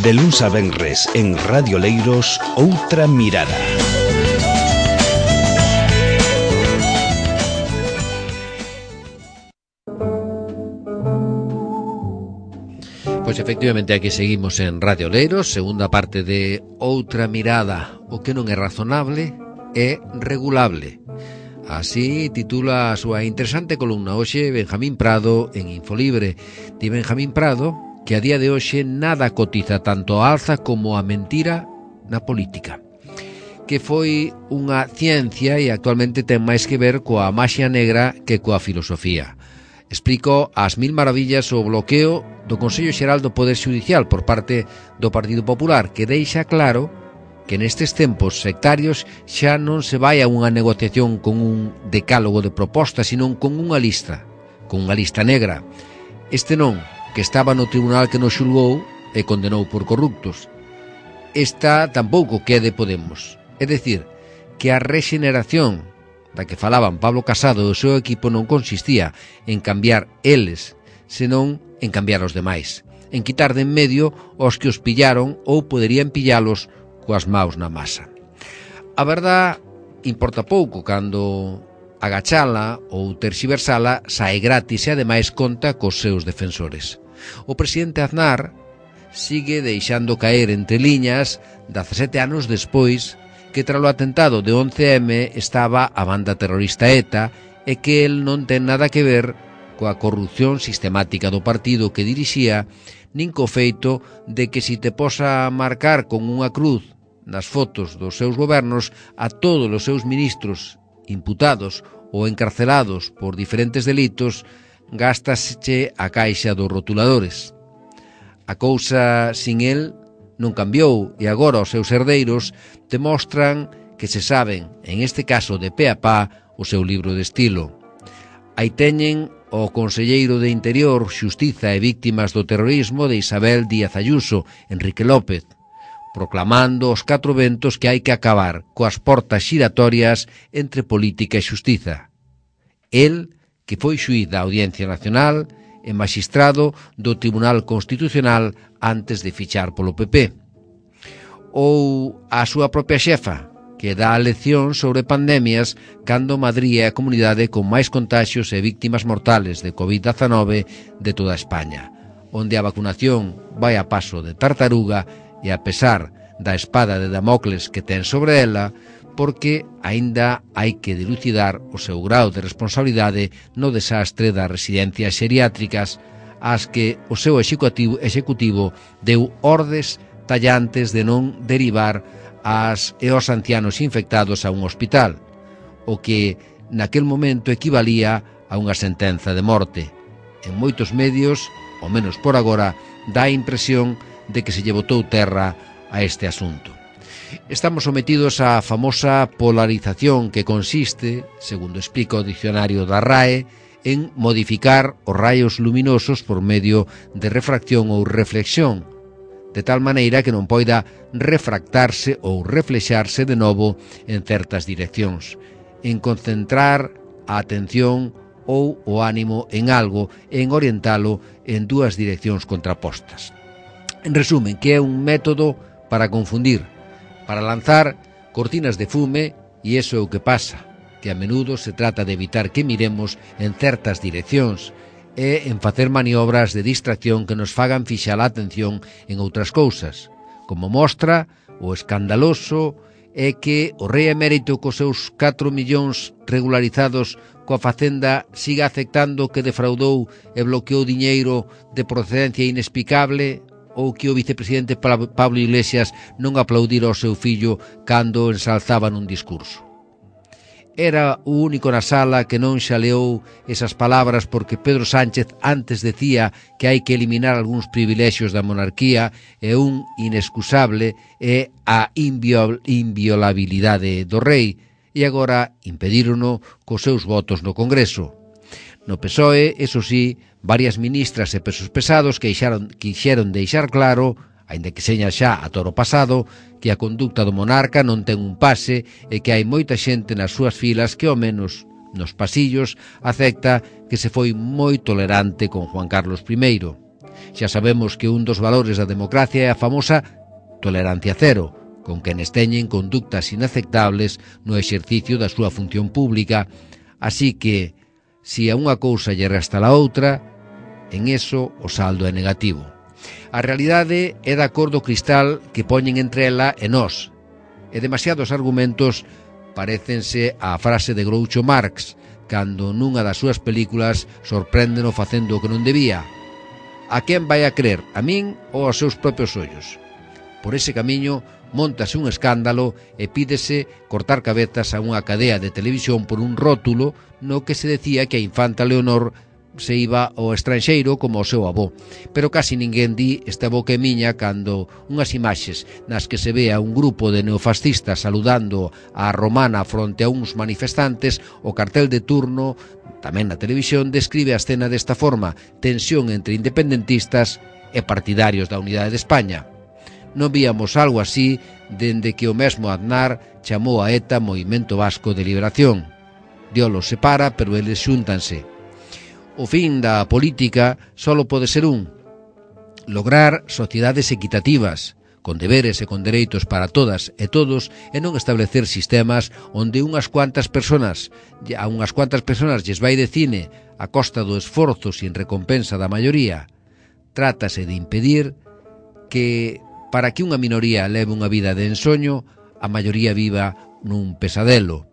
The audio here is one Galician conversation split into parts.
De luns a venres en Radio Leiros, Outra Mirada. Pois efectivamente aquí seguimos en Radio Leiros, segunda parte de Outra Mirada. O que non é razonable é regulable. Así titula a súa interesante columna hoxe Benjamín Prado en Infolibre. Di Benjamín Prado que a día de hoxe nada cotiza tanto a alza como a mentira na política, que foi unha ciencia e actualmente ten máis que ver coa maxia negra que coa filosofía. Explico as mil maravillas o bloqueo do Consello Xeral do Poder Xudicial por parte do Partido Popular, que deixa claro que nestes tempos sectarios xa non se vai a unha negociación con un decálogo de propostas, sino con unha lista negra. Este non, que estaba no tribunal que nos xulgou e condenou por corruptos. Esta tampouco que é de Podemos. É dicir, que a rexeneración da que falaban Pablo Casado e o seu equipo non consistía en cambiar eles, senón en cambiar os demais, en quitar de en medio os que os pillaron ou poderían pillalos coas maus na masa. A verdad importa pouco cando agachala ou terxiversala sae gratis e ademais conta cos seus defensores. O presidente Aznar sigue deixando caer entre liñas 17 anos despois que tralo atentado de 11M estaba a banda terrorista ETA e que el non ten nada que ver coa corrupción sistemática do partido que dirixía, nin co feito de que si te posa marcar con unha cruz nas fotos dos seus gobernos a todos os seus ministros imputados ou encarcelados por diferentes delitos, gástaseche a caixa dos rotuladores. A cousa sin el non cambiou e agora os seus herdeiros demostran que se saben, en este caso de pe a pa, o seu libro de estilo. Aí teñen o conselleiro de Interior, Xustiza e Víctimas do Terrorismo de Isabel Díaz Ayuso, Enrique López, proclamando os 4 ventos que hai que acabar coas portas xiratorias entre política e xustiza. El, que foi xuíz da Audiencia Nacional e magistrado do Tribunal Constitucional antes de fichar polo PP. Ou a súa propia xefa, que dá a lección sobre pandemias cando Madrid é a comunidade con máis contaxios e víctimas mortales de COVID-19 de toda España, onde a vacunación vai a paso de tartaruga e a pesar da espada de Damocles que ten sobre ela, porque aínda hai que dilucidar o seu grau de responsabilidade no desastre das residencias xeriátricas ás que o seu executivo deu ordes tallantes de non derivar as e os ancianos infectados a un hospital, o que naquel momento equivalía a unha sentenza de morte. En moitos medios, ao menos por agora, dá a impresión de que se lle botou terra a este asunto. Estamos sometidos á famosa polarización que consiste, segundo explica o dicionario da RAE, en modificar os raios luminosos por medio de refracción ou reflexión, de tal maneira que non poida refractarse ou reflexarse de novo en certas direccións, en concentrar a atención ou o ánimo en algo e en orientalo en dúas direccións contrapostas. En resumen, que é un método para confundir, para lanzar cortinas de fume, e iso é o que pasa, que a menudo se trata de evitar que miremos en certas direccións e en facer maniobras de distracción que nos fagan fixar a atención en outras cousas, como mostra o escandaloso é que o rei emérito cos seus 4 millóns regularizados coa Facenda siga aceptando que defraudou e bloqueou diñeiro de procedencia inexplicable, ou que o vicepresidente Pablo Iglesias non aplaudira ao seu fillo cando ensalzaba nun discurso. Era o único na sala que non xaleou esas palabras porque Pedro Sánchez antes decía que hai que eliminar algúns privilexios da monarquía e un inexcusable é a inviolabilidade do rei, e agora impedírono cos seus votos no Congreso. No PSOE, eso sí, varias ministras e pesos pesados quixeron deixar claro, aínda que seña xa a toro pasado, que a conducta do monarca non ten un pase e que hai moita xente nas súas filas que, ao menos nos pasillos, acepta que se foi moi tolerante con Juan Carlos I. Xa sabemos que un dos valores da democracia é a famosa tolerancia cero, con quenes teñen conductas inaceptables no exercicio da súa función pública. Así que, se a unha cousa lle resta a outra, en eso o saldo é negativo. A realidade é da cor do cristal que poñen entre ela e nós, e demasiados argumentos parécense á frase de Groucho Marx, cando nunha das súas películas sorpréndeno facendo o que non debía. A quen vai a crer, a min ou aos seus propios ollos? Por ese camiño móntase un escándalo e pídese cortar cabezas a unha cadea de televisión por un rótulo no que se decía que a infanta Leonor se iba ao estranxeiro como o seu avó. Pero casi ninguén di esta boca é miña cando unhas imaxes nas que se ve a un grupo de neofascistas saludando a romana fronte a uns manifestantes, o cartel de turno, tamén na televisión, describe a escena desta forma: tensión entre independentistas e partidarios da unidade de España. Non víamos algo así dende que o mesmo Aznar chamou a ETA Movimento Vasco de Liberación. Dios los separa, pero eles xúntanse. O fin da política solo pode ser un: lograr sociedades equitativas, con deberes e con dereitos para todas e todos, e non establecer sistemas onde a unhas cuantas persoas lles vai de cine a costa do esforzo sin recompensa da maioría. Trátase de impedir que, para que unha minoría leve unha vida de ensoño, a maioría viva nun pesadelo.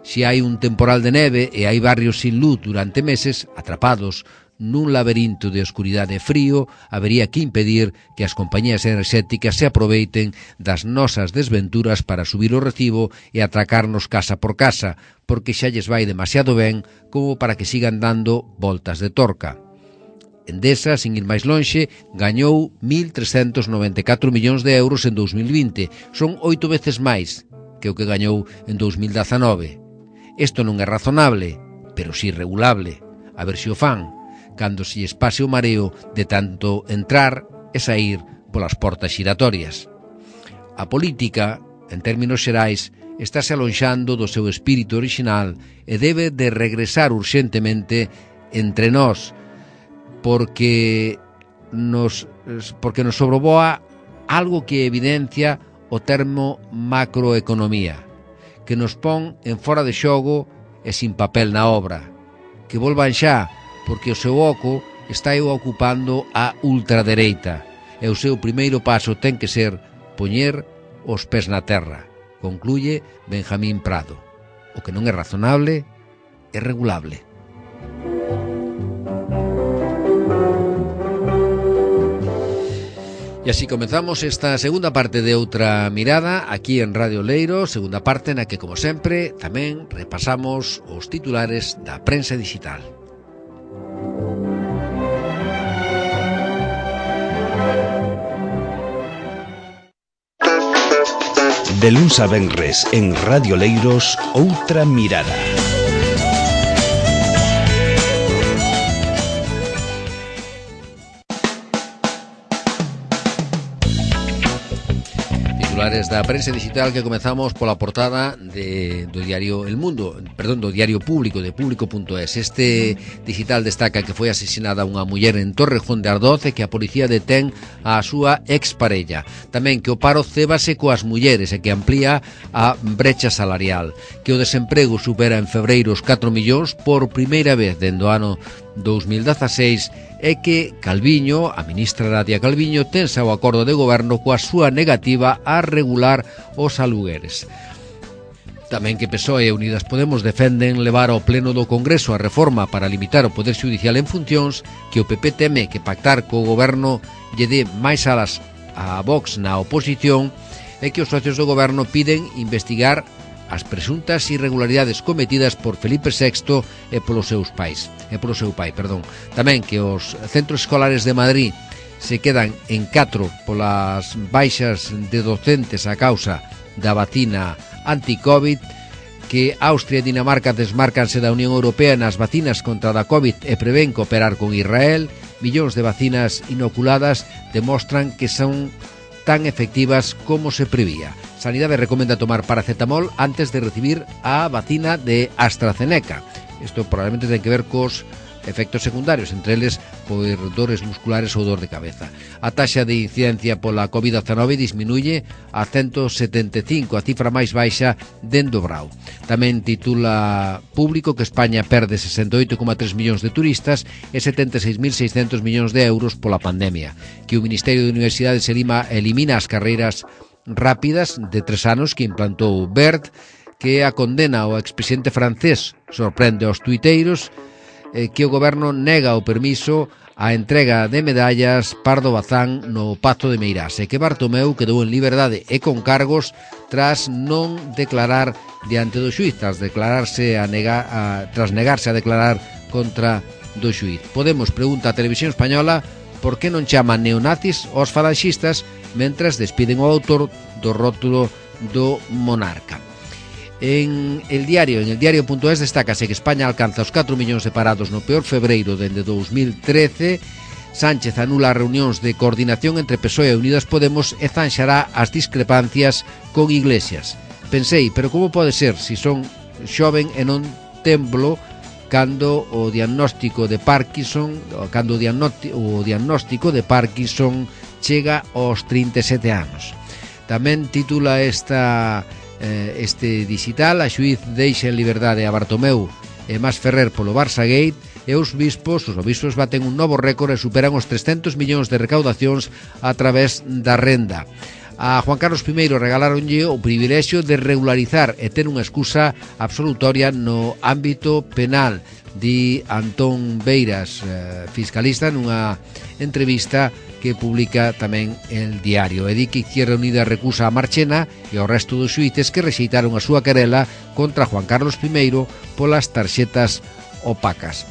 Se hai un temporal de neve e hai barrios sin luz durante meses, atrapados nun laberinto de oscuridade e frío, habería que impedir que as compañías enerxéticas se aproveiten das nosas desventuras para subir o recibo e atracarnos casa por casa, porque xa lles vai demasiado ben como para que sigan dando voltas de torca. Endesa, sin ir máis lonxe, gañou 1.394 millóns de euros en 2020. Son 8 veces máis que o que gañou en 2019. Isto non é razonable, pero si regulable. A ver se o fan, cando se lles pase o mareo de tanto entrar e sair polas portas xiratorias. A política, en términos xerais, estáse alonxando do seu espírito original e debe de regresar urxentemente entre nós, porque nos sobrevoa algo que evidencia o termo macroeconomía, que nos pon en fora de xogo e sin papel na obra. Que volvan xa, porque o seu oco está ocupando a ultradereita, e o seu primeiro paso ten que ser poñer os pés na terra, concluye Benjamín Prado. O que non é razonable é regulable. E así comenzamos esta segunda parte de Outra Mirada aquí en Radio Leiro, segunda parte na que, como sempre, tamén repasamos os titulares da prensa digital. De luns a venres en Radio Leiros, Outra Mirada. Titulares da prensa digital que comezamos pola portada do diario El Mundo, do diario Público, de Público.es. Este digital destaca que foi asesinada unha muller en Torrejón de Ardoz e que a policía detén a súa exparella. Tamén que o paro cébase coas mulleres e que amplía a brecha salarial. Que o desemprego supera en febreiro os 4 millóns por primeira vez dende o ano 2016 e que Calviño, a ministra Nadia Calviño, tensa o acordo de goberno coa súa negativa a regular os alugueres. Tamén que PSOE e Unidas Podemos defenden levar ao pleno do Congreso a reforma para limitar o poder xudicial en funcións, que o PP teme que pactar co goberno lle dé máis alas a Vox na oposición e que os socios do goberno piden investigar as presuntas irregularidades cometidas por Felipe VI e polo seu pai. Tamén que os centros escolares de Madrid se quedan en 4 polas baixas de docentes a causa da vacina anti-Covid, que Austria e Dinamarca desmárcanse da Unión Europea nas vacinas contra a Covid e prevén cooperar con Israel. Millóns de vacinas inoculadas demostran que son tan efectivas como se prevía. Sanidade recomenda tomar paracetamol antes de recibir a vacina de AstraZeneca. Isto probablemente ten que ver cos efectos secundarios, entre eles por dores musculares ou dor de cabeza. A taxa de incidencia pola COVID-19 disminuye a 175, a cifra máis baixa dende o Brao. Tamén titula Público que España perde 68,3 millóns de turistas e 76.600 millóns de euros pola pandemia, que o Ministerio de Universidades elimina as carreiras rápidas de 3 anos que implantou BERT, que a condena ao expresidente francés sorprende aos tuiteiros, que o goberno nega o permiso a entrega de medallas Pardo Bazán no Pazo de Meirás e que Bartomeu quedou en liberdade e con cargos tras non declarar diante do xuiz, tras negarse a declarar contra do xuiz. Podemos pregunta a Televisión Española por que non chaman neonazis aos falanxistas mentras despiden o autor do rótulo do monarca. En el diario.es destácase que España alcanza os 4 millóns de parados no peor febreiro dende 2013. Sánchez anula reunións de coordinación entre PSOE e Unidas Podemos e zanxará as discrepancias con Iglesias. Pensei, pero como pode ser se son xoven e non temblo cando o diagnóstico de Parkinson chega aos 37 anos. Tamén titula este digital: a xuiz deixa en liberdade a Bartomeu e Masferrer polo Barça Gate, e os obispos baten un novo récord e superan os 300 millóns de recaudacións a través da renda. A Juan Carlos I regaláronlle o privilexio de regularizar e ter unha excusa absolutoria no ámbito penal, di Antón Beiras, fiscalista, nunha entrevista que publica tamén el diario. E di que Izquierda Unida recusa a Marchena e ao resto dos xuíces que rexeitaron a súa querela contra Juan Carlos I polas tarxetas opacas.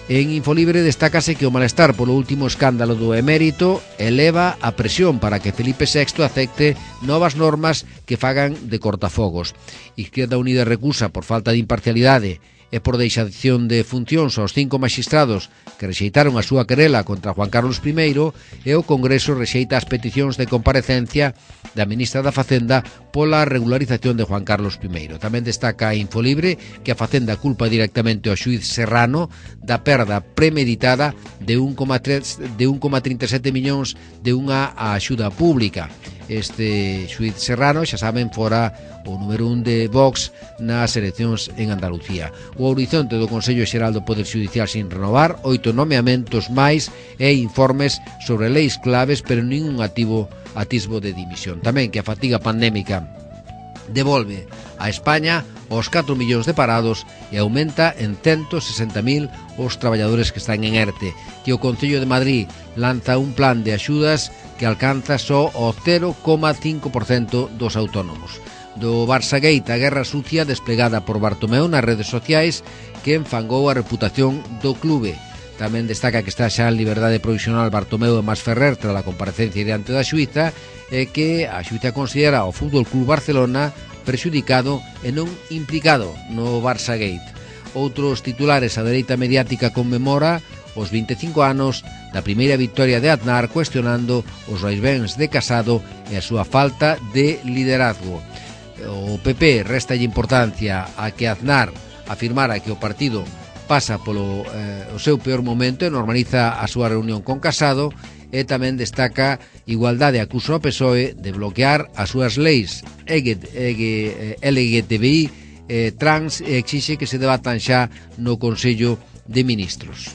En Infolibre destácase que o malestar polo último escándalo do emérito eleva a presión para que Felipe VI acepte novas normas que fagan de cortafogos. Izquierda Unida recusa por falta de imparcialidade e por deixación de funcións aos 5 maxistrados que rexeitaron a súa querela contra Juan Carlos I, e o Congreso rexeita as peticións de comparecencia da ministra da Facenda pola regularización de Juan Carlos I. Tamén destaca a Infolibre que a Facenda culpa directamente ao xuiz Serrano da perda premeditada de 1,37 millóns de unha axuda pública. Este xuiz Serrano, xa saben, fora o número 1 de Vox nas eleccións en Andalucía. O horizonte do Consello Xeral do Poder Judicial sin renovar, 8 nomeamentos máis e informes sobre leis claves, pero ningún atisbo de dimisión. Tamén que a fatiga pandémica devolve a España os 4 millóns de parados e aumenta en 160.000 os traballadores que están en ERTE, que o Concello de Madrid lanza un plan de axudas que alcanza só o 0,5% dos autónomos. Do Barça Gate, a guerra sucia desplegada por Bartomeu nas redes sociais que enfangou a reputación do clube. Tamén destaca que está xa en liberdade provisional Bartomeu e Masferrer tras a comparecencia diante da xuíza, e que a xuíza considera o Fútbol Club Barcelona prexudicado e non implicado no Barça Gate. Outros titulares: a dereita mediática conmemora os 25 anos da primeira victoria de Aznar, cuestionando os vaivens de Casado e a súa falta de liderazgo. O PP resta importancia a que Aznar afirmara que o partido pasa polo o seu peor momento e normaliza a súa reunión con Casado, e tamén destaca igualdade, acusa ao PSOE de bloquear as súas leis LGTBI trans e exixe que se debatan xa no Consello de Ministros.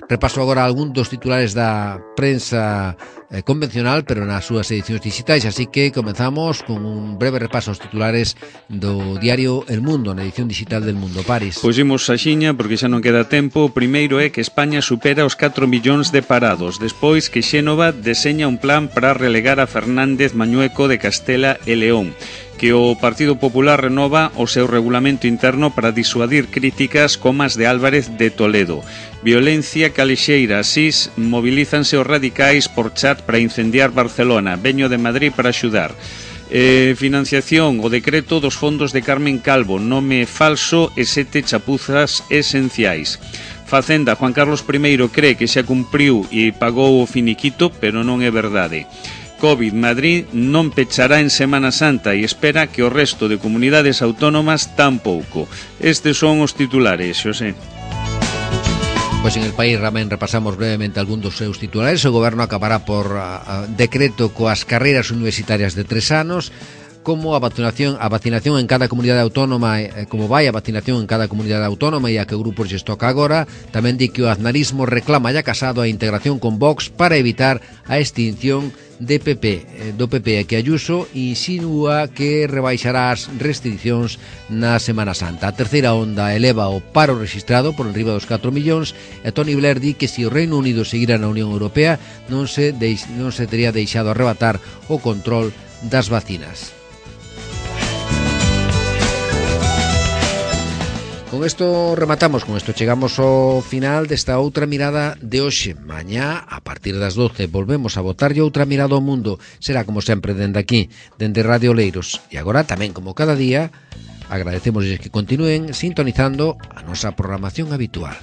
Repaso agora algún dos titulares da prensa convencional, pero nas súas edicións digitais, así que comenzamos con un breve repaso aos titulares do diario El Mundo, na edición digital del Mundo. Paris. Pois imos a xiña, porque xa non queda tempo. O primeiro é que España supera os 4 millóns de parados, despois que Xénova deseña un plan para relegar a Fernández Mañueco de Castela e León, que o Partido Popular renova o seu regulamento interno para disuadir críticas como as de Álvarez de Toledo. Violencia calexeira, asís mobilízanse os radicais por chat para incendiar Barcelona. Veño de Madrid para axudar. Financiación, o decreto dos fondos de Carmen Calvo, nome falso e 7 chapuzas esenciais. Facenda, Juan Carlos I cree que xa cumpriu e pagou o finiquito, pero non é verdade. Covid. Madrid non pechará en Semana Santa e espera que o resto de comunidades autónomas tampouco. Estes son os titulares, Xosé. Pois en El País tamén repasamos brevemente algún dos seus titulares. O goberno acabará por decreto coas carreiras universitarias de 3 anos, como a vacinación en cada comunidade autónoma, como vai a vacinación en cada comunidade autónoma e a que grupos lles toca agora. Tamén di que o aznarismo reclama ya casado a integración con Vox para evitar a extinción do PP, e que Ayuso insinúa que rebaixará as restriccións na Semana Santa. A terceira onda eleva o paro registrado por enriba dos 4 millóns e Tony Blair di que se o Reino Unido seguira na Unión Europea non se tería deixado arrebatar o control das vacinas. Con isto rematamos, con isto chegamos ao final desta outra mirada de hoxe. Mañá, a partir das 12, volvemos a botarlle outra mirada ao mundo. Será como sempre dende aquí, dende Radio Oleiros. E agora tamén, como cada día, agradecemos que continúen sintonizando a nosa programación habitual.